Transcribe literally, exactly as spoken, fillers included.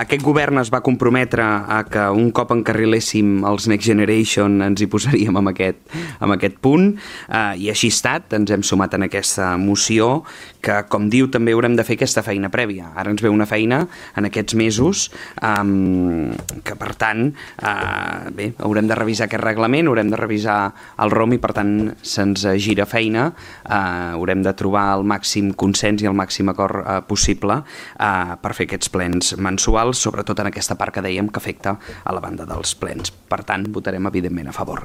aquest govern es va comprometre a que un cop encarriléssim els Next Generation ens hi posaríem amb aquest, amb aquest punt, eh, i així ha estat, ens hem sumat en aquesta moció, que com diu també haurem de fer aquesta feina prèvia. Ara ens ve una feina en aquests mesos eh, que per tant eh, bé, haurem de revisar aquest reglament, haurem de revisar el ROM i per tant se'ns gira feina, eh, haurem de trobar el màxim consens i el màxim acord eh, possible eh, per fer aquests plens mensuals, sobretot en aquesta part que dèiem que afecta a la banda dels plens. Per tant, votarem evidentment a favor.